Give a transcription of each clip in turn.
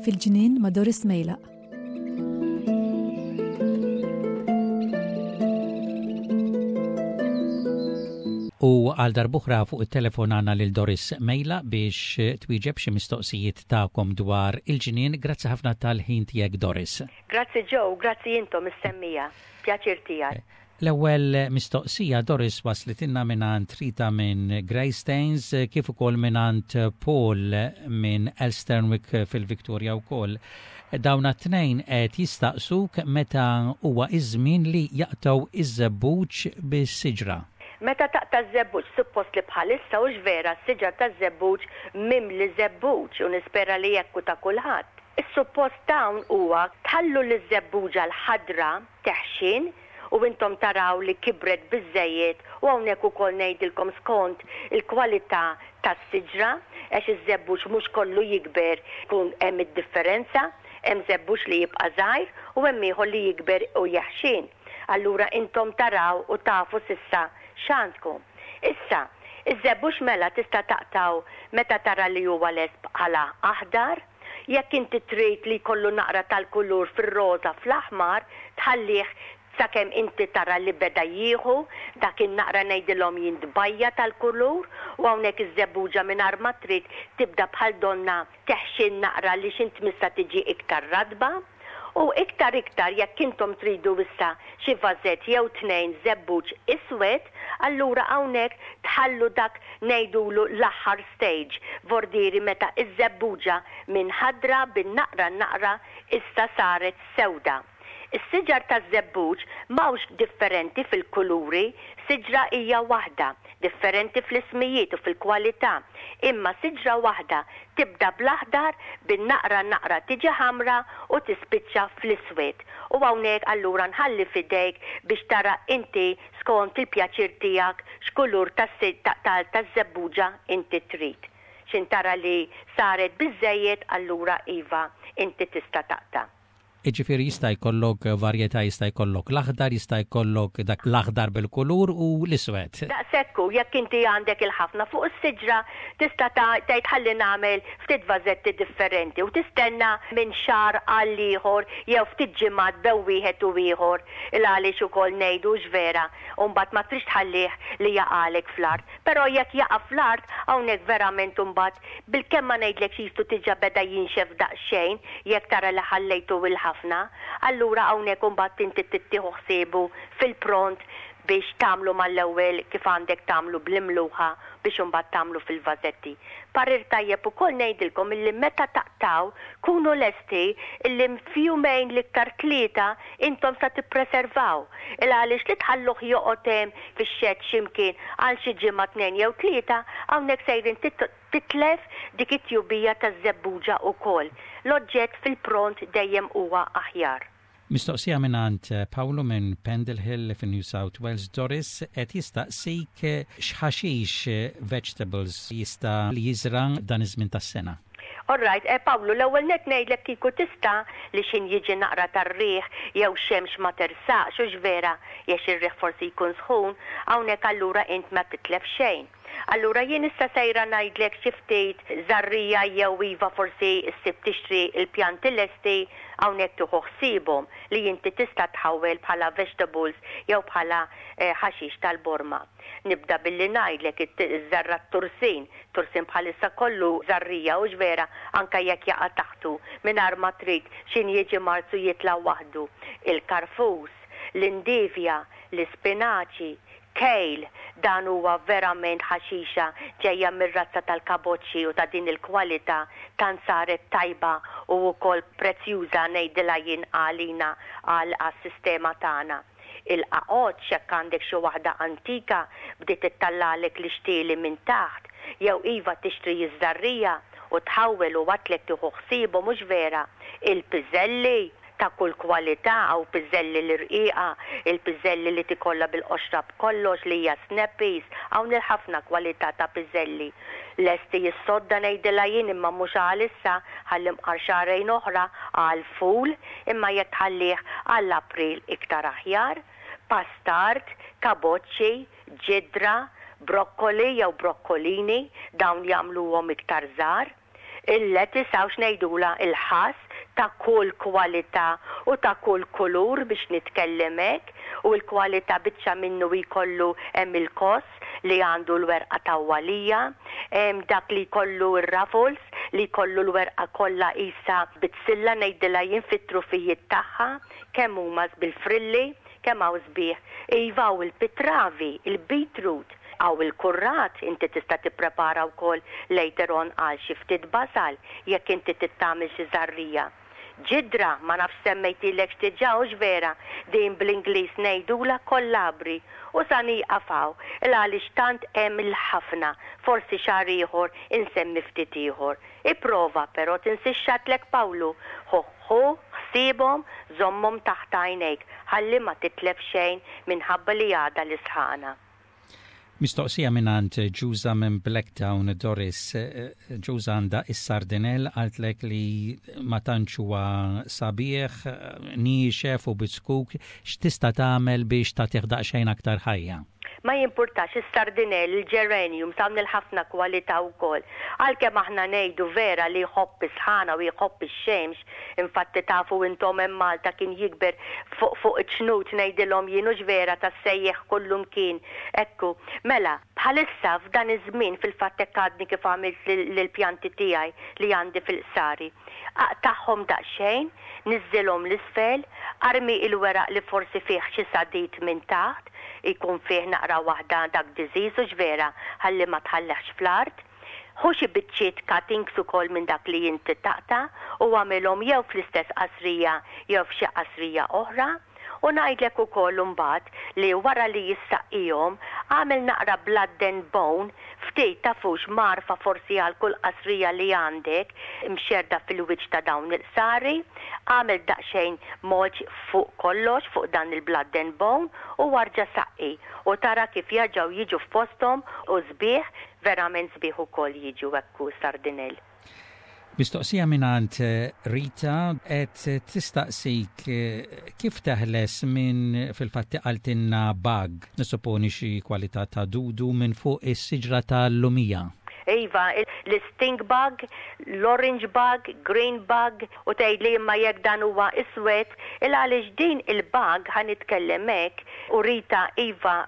Fil-ġnien ma' Doris Mejlaq. U għal darb'oħra fuq it-telefon għandna lil Doris Mejla biex twieġeb xi mistoqsijiet tagħkom dwar il-ġnien. Grazzi ħafna tal-ħin tiegħek Doris. Grazzi Joe, grazzi intom is-semmiegħa. Pjaċir tiegħi. L-ewwel mistoqsija Doris waslitilna mingħand Rita minn Greystanes kif ukoll mingħand Paul minn Elsternwick fil-Victoria wkoll. Dawn t-tnejn qed jistaqsuk meta huwa iż-żmien li jaqtgħu iż-żebbuġ bis-siġra. Meta taqta' ż-żebbuġ, suppost li bħalissa hux vera s-siġar taż-żebbuġ mimli żebbuġ u nispera li hekk hu ta' kulħadd. Is-suppost hawn huwa tħallu liż-żebbuġa l-ħadra teħxien u intom taraw li kibret biżżejjed u hawnhekk ukoll ngħidilkom skont il-kwalità tas-siġra għax iż-żebbuġ mhux kollu jikber ikun hemm id-differenza, hemm żebbuġ li jibqa' żgħir u hemm ieħor li jikber u jeħxien. Allura intom taraw u tafu s'issa x'għandkom. Issa, iż-żebbuġ mela tista' taqtgħu meta tara li huwa lest bħala aħdar. Jekk inti trid li jkollu naqra tal-kulur fir-roża fl-aħmar, tħallih sakemm inti tara li beda jieħu dak in-naqra ngħidilhom jien tbajja' tal-kulur u hawnhekk iż-żebbuġa mingħajr ma trid tibda bħal donnha teħxien naqra li x'int tmissha tiġi iktar ratba. U iktar iktar jekk intom tridu issa xi vażett jew tnejn żebbuġ iswed, allura hawnhekk tħallu dak ngħidulu l-aħħar stage, vordieri meta ż-żebbuġa minn ħadra bin-naqra naqra issa saret sewda. Is-siġar taż-żebbuġ m'hawnx differenti fil-kuluri, siġra hija waħda, differenti fl-ismijiet u fil-kwalità, imma siġra waħda tibda bl-aħdar, bin-naqra naqra tiġi ħamra u tispiċċa fl-iswed. U hawnhekk allura nħalli f'idejk biex tara inti skont il-pjaċir tiegħek x'kulur taż-żebbuġa inti trid. X'int tara li saret biżżejjed allura iva inti tista' taqta'. Jiġifieri jista' jkollok varjetà, jista' jkollok l-aħdar, jista' jkollok dak l-aħdar bil-kulur u l-iswed. Daqshekk hu, jekk inti għandek il-ħafna fuq is-siġra tista' tgħid ħalli nagħmel ftit vażetti differenti u tistenna minn xahar għal ieħor jew ftit ġimgħat bew wieħed u ieħor il għaliex ukoll ngħidu hux vera u mbagħad ma tridx tħallih li jaqagħlek fl-art. Però jekk jaqa' fl-art hawnhekk verament imbagħad bilkemm ma ngħidlekx qisu diġà beda jinxef daqsxejn jekk tara li ħallejtu il ħafna, allura hawnhekk imbagħad inti trid tieħu ħsiebu fil-pront biex tagħmlu mal-ewwel kif għandek tagħmlu bl-imluħa biex imbagħad tagħmlu fil-vażetti. Parir tajjeb ukoll ngħidilkom illi meta taqtgħu kunu lesti illi f'jumejn l-iktar tlieta intom sa tippreservaw. Il għaliex li tħalluh joqgħod hemm fix-xedd xi mkien għal xi ġimgħa tnejn jew tlieta, hawnhekk sejrin titlef dik it-tjubija taż-żebbuġa wkoll. L-oġġett fil-pront dejjem huwa aħjar. Mistoqsija mingħand Pawlu minn Pendle Hill fi New South Wales, Doris qed jistaqsik x'ħaxix, vegetables, jista' jiżra' dan iż-żmien tas-sena. All right, eh Pawlu, l-ewwel nett ngħidlek kieku tista' li x'ħin jiġi naqra tar-riħ jew xemx ma tersaqx, hux vera, għax ir-riħ forsi jkun sħun, hawnhekk allura int ma titlef xejn. Allura jien issa sejra ngħidlek xi ftit żarrija jew iva forsi ssib tixtri l-pjanti lesti hawnhekk tieħu ħsiebhom li inti tista' tħawwel bħala vegetables jew bħala ħaxix tal-borma. Nibda billi ngħidlek iż-żarra t-tursin. Tursin bħalissa kollu żarrija, hux vera, anke jekk jaqa' taħtu, mingħajr ma trid, x'ħin jiġi Marzu jitla' waħdu. Il-karfus, l-indivja, l-ispinaċi, kale, dan huwa verament ħaxixa ġejja mir-razza tal-kaboċċi u ta' din il-kwalità tant saret tajba u wkoll prezzjuża ngħidilha jien għalina għal għas-sistema tagħna. Il-qaqoċċ, jekk għandek xi waħda antika bdiet ittallagħlek l-ixtieli minn taħt, jew iva tixtri ż-żarrija u tħawwel u għadtlek tieħu ħsiebhom hux vera? Il-piżelli, ta' kull kwalità, hawn piżelli l-irqiqa, il-piżelli li tikollha bil-qoxra b'kollox li hija snappies, hawn il-ħafna kwalità ta' piżelli. Lesti s-sodda ngħidilha jien imma mhux għalissa, ħalli mqar xahrejn oħra għall-ful, imma jekk tħallih għal April iktar aħjar. Pastard, kaboċċi, ġidra, brokkoli jew brokkolini, dawn jagħmluhom iktar żgħar. Il-lettuce hawn x'ngħidulha il-ħass ta' kull kwalità u ta' kull kulur biex nitkellem hekk u l-kwalità biċċa minnu jkollu hemm il-koss li għandu l-werqa tawwalija, hemm dak li jkollu r-ruffles li jkollu l-werqa kollha qisha bizzilla ngħidilha jien fit-trufijiet tagħha, kemm huma bil-frilli, kemm hawn sbieħ. Iva hawn il-pitravi, il-beetroot, hawn il-kurrat, inti tista' tipprepara wkoll later on għal xi ftit basal jekk inti trid tagħmel xi żarrija. Ġidra, ma nafx semmejtilekx diġà hux vera, din bl-Ingliż ngħidulha kollabri u sa nieqaf hawn il għaliex tant hemm il-ħafna, forsi xahar ieħor insemmi ftit ieħor. Ipprova, però tinsiex x'għadtlek Pawlu, ħu ħu ħsiebhom, żommhom taħt għajnejk, ħalli ma titlef xejn minħabba li għadha l-isħana. Mistoqsija mingħand Ġuża minn Blacktown, Doris. Ġuża għandha is-sardinell qaltlek li ma tantx huwa sabiħ, niexef u biskuk, x'tista' tagħmel biex tagħtih daqsxejn aktar ħajja? Ma jimpurtax, is-sardinell, il-geraniums hawn il-ħafna kwalità wkoll. Għalkemm aħna ngħidu vera li jħobb is-sħana u jħobb ix-xemx, infatti tafu intom hemm Malta kien jikber fuq fuq iċ-ċnut ngħidilhom jien hux vera tas-sejjieħ kullumkien. Ekku. Mela, bħalissa f'dan iż-żmien fil-fatt hekk għadni kif għamilt lill-pjanti tiegħi li għandi fil-qsari. Aqtagħhom daqsxejn, niżżilhom 'l isfel, armi il-weraq li forsi fih xi sadid minn taħt, jkun fih naqra waħda dak disease hux vera, ħalli ma tħallihx fl-art. Ħu xi biċċiet cuttings ukoll minn dak li inti taqta' u agħmilhom jew fl-istess qasrija jew f'xi qasrija oħra. U ngħidlek ukoll imbagħad li wara li issaqqihom, agħmel naqra blood and bone, ftit tafux mgħarfa forsi għal kull qasrija li għandek imxerrda fil-wiċċ ta' dawn il-qsari, agħmel daqsxejn mulch fuq kollox fuq dan il-blood and bone u arġa' saqqi u tara kif jerġgħu jiġu f'posthom u sbieħ, verament sbieħ ukoll jiġu hekk hu sardinell. Mistoqsija mingħand Rita qed tistaqsik kif teħles minn fil-fatt qaltilna bug, nissupponi xi kwalità ta' dudu minn fuq is-siġra tal-lumija. Iva, l-stink bug, l-orange bug, green bug, u tgħidli imma jekk dan huwa iswed, il għaliex din il-bug ħa nitkellem hekk, u Rita iva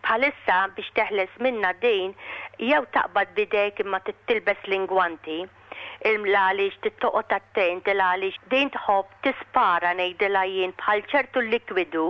Bħalissa biex teħles minnha din jew taqbad b'idejk imma trid tilbes l-ingwanti, il għaliex trid toqgħod attent il għaliex din tħobb tispara ngħidilha jien bħal ċertu likwidu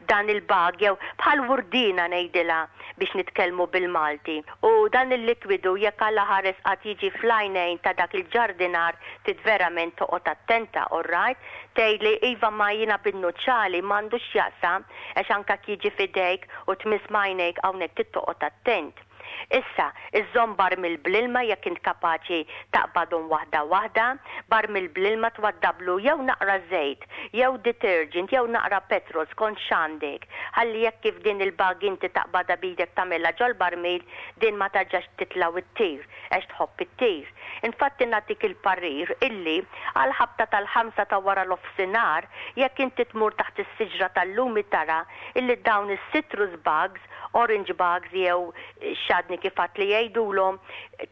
dan il-bag jew bħal wurdiena ngħidilha biex nitkellmu bil-Malti u dan il-likwidu jekk Alla ħares qatt jiġi fl-għajnejn ta' dak il-ġardinar trid verament toqgħod attenta alright tgħidli iva ma jiena bin-nuċċali m'għandux x'jaqsam Għax anke jekk jiġi f'idejk u tmiss m'għajnejk hawnhekk trid toqgħod attent. Issa, iżżomm barmil bl-ilma jekk int kapaċi taqbadhom waħda waħda, barmil bl-ilma twaddablu jew naqra żejt, jew detergent jew naqra petrol skont x'għandek, ħalli jekk kif din il-bag inti taqbadha b'idek tagħmilha ġol-barmil din ma tarġax titla' u ttir għax tħobb ittir. Infatti nagħtik il-parir illi għall-ħabta tal-ħamsa ta' wara nofsinhar, jekk inti tmur taħt is-siġra tal-lumi tara illi dawn is-citrus bugs, orange bugs jew x'għadni kif għedt li jgħidulhom,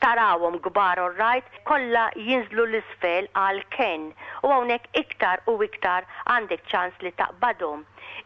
tarawhom kbar orrajt, kollha jinżlu 'l isfel għall-kenn u hawnhekk iktar u iktar għandek ċans li taqbadhom.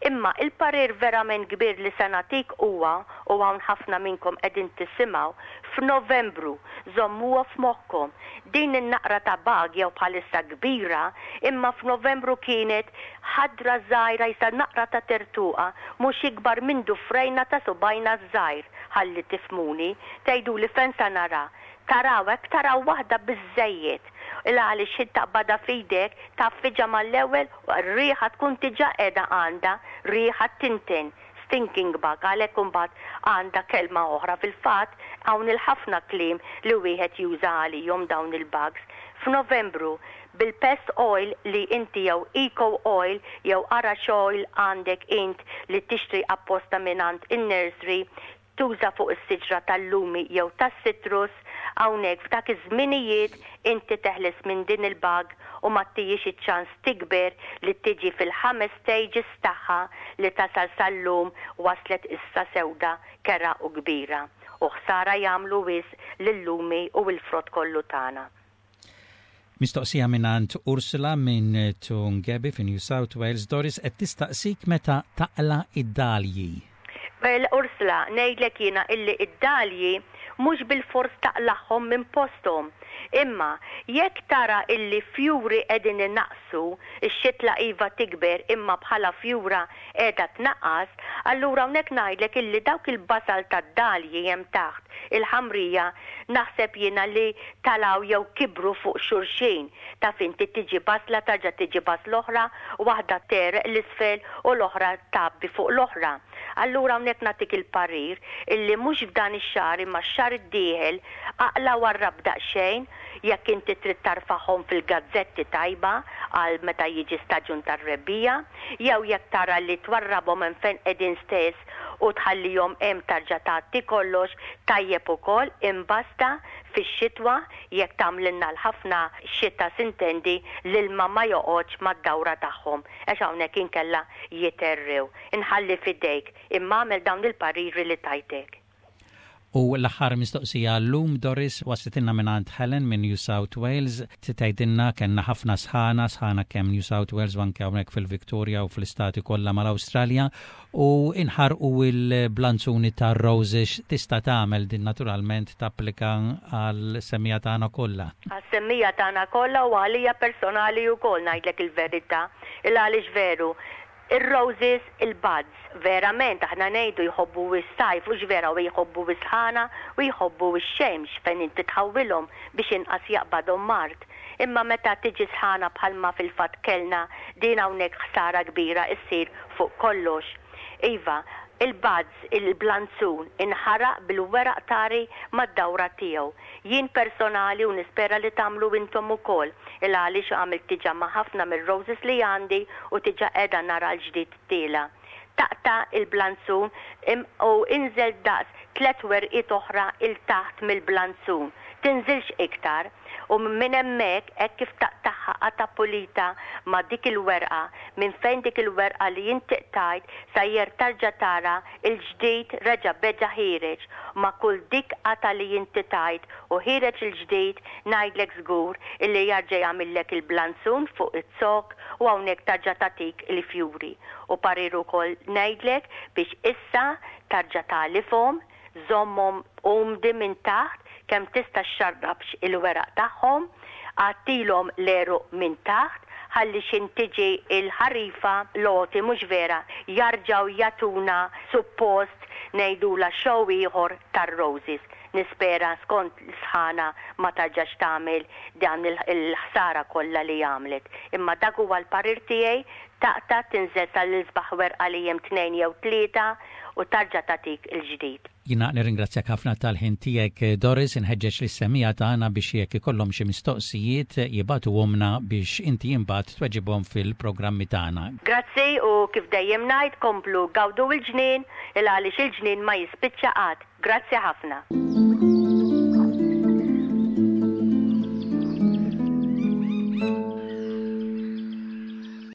Imma il-parir verament kbir li se nagħtik huwa, u hawn ħafna minnkom qegħdin tisimgħu, f'Novembru, żommuha f'moħħkom, din in-naqra ta' bag jew bħalissa kbira, imma f'Novembru kienet ħadra żgħira qisha naqra ta' tertuqa, mhux ikbar minn dufrejna ta' subgħajna ż-żgħir, ħalli tifhmuni, tgħiduli fejn sa nara? Taraw hekk taraw waħda biżżejjed. Il għaliex x'ħin taqbadha f'idek tgħaffiġha mal-ewwel u r-riħa tkun diġà qiegħda għandha riħa tinten, stinking bug, għalhekk imbagħad għandha kelma oħra. Fil-fatt hawn il-ħafna kliem li wieħed juża għalihom dawn il-bugs. F'Novembru, bil-pest oil li inti jew eco oil jew ara x'oil għandek int li tixtri apposta mingħand in-nursery, tuża fuq is-siġra tal-lumi jew tas-citrus, hawnhekk f'dak iż-żminijiet inti teħles minn din il-bug u ma ttihiex iċ-ċans tikber li tiġi fil-ħames stages tagħha li tasal sal-lum waslet issa sewda kerha u kbira u ħsara jagħmlu wisq lil-lumi u l-frott kollu tagħna. Mistoqsija mingħand Ursula minn Toongabbie fi New South Wales, Doris qed tistaqsik meta taqla' id-dalji. Well Ursula, ngħidlek jiena illi id-dalji mhux bilfors taqlagħhom minn posthom. Imma jekk tara illi fjuri qegħdin inaqqsu, ix-xitla iva tikber imma bħala fjura qiegħda tnaqqas, allura hawnhekk ngħidlek illi dawk il-basal tad-dalji hemm taħt il-ħamrija naħseb jiena li talgħu jew kibru fuq xulxin. Taf inti tiġi basla tarġa' tiġi basla oħra, waħda tegħreq 'l isfel u l-oħra tgħabbi fuq l-oħra. Allura hawnhekk nagħtik il-parir illi mhux f'dan ix-xahar imma x-xahar id-dieħel aqla' warrab daqsxejn jekk inti trid tarfagħhom fil-gazzetti tajba għal meta jiġi staġun tar-rebbiegħa jew jekk tara li twarrabhom hemm fejn qegħdin stess u tħallihom hemm tarġa' tgħatti kollox tajjeb ukoll imbasta fix-xitwa jekk tagħmlilna l-ħafna xita sintendi l-ilma ma joqgħodx mad-dawra tagħhom għax hawnhekk inkella jitgħerrew. Inħalli f'idejk, imma agħmel dawn il-pariri li tajtek. U l-aħħar mistoqsija għal-lum, Doris, waslitilna mingħand Helen minn New South Wales. Tgħidilna kellna ħafna sħana, sħana kemm New South Wales u anke hawnhekk fil-Victoria u fl-istati kollha mal-Awstralja u inħarqu l-blanzuni tar-roses. Tista' tagħmel din naturalment tapplika għall-semmiegħa tagħna kollha. Għas-semmiegħa tagħna kollha u għalija personali wkoll ngħidlek il-verità. Il-għaliex veru, Ir-roses, il-buds, verament aħna ngħidu jħobbu s-sajf hux vera u jħobbu s-sħana u jħobbu x-xemx fejn inti tħawwilhom biex inqas jaqbadhom mard. Imma meta tiġi sħana bħalma fil-fatt kellna din hawnhekk ħsara kbira issir fuq kollox. Iva, il-buds, il-blanzun, inħaraq bil-weraq tari mad-dawra tiegħu. Jien personali u nispera li tagħmlu intom ukoll, il għaliex għamilt diġa ma' ħafna mir-roses li għandi u diġa qiegħda nara l-ġdid tiela'. Taqta' il-blanzun im u inżel daqs tlett werqiet oħra 'il taħt mill-blanzun. Tinżilx iktar. U minn hemmhekk, hekk kif taqtagħha qatgħa pulita ma' dik il-werqa, minn fejn dik il-werqa li inti qtajt sajjer tarġa' tara Il-ġdid reġa' beda ħiereġ, ma' kull dik qatgħa li inti tajt u ħiereġ il-ġdid, ngħidlek żgur illi jarġa' jagħmillek il-blanzun fuq iz-zokk u hawnhekk tarġa' tagħtik il-fjuri. U parir ukoll ngħidlek biex issa tarġa' tagħlifhom, żommhom umdi minn taħt kemm tista' xxarrabx il-weraq tagħhom, għattilhom l-għeruq minn taħt ħalli x'in tiġi l-ħarifa l-għoti mhux vera jarġgħu jagħtuna suppost ngħidulha show ieħor tar-roses. Nispera skont l-sħana ma tarġax tagħmel dan il-ħsara kollha li għamlet. Imma dak huwa l-parir tiegħi, taqta' tinżel sal-isbaħ werqa li hemm tnejn jew tlieta u tarġa' tagħtik il-ġdid. Jiena nirringrazzjak ħafna tal-ħin tiegħek Doris, inħeġġeġ lis-semmiegħa tagħna biex jekk ikollhom xi mistoqsijiet jibagħtuhomlna biex inti imbagħad tweġibhom fil-programmi tagħna. Grazzi u kif dejjem ngħid komplu gawdu l-ġnien il għaliex il-ġnien ma jispiċċa qatt. Grazzi ħafna.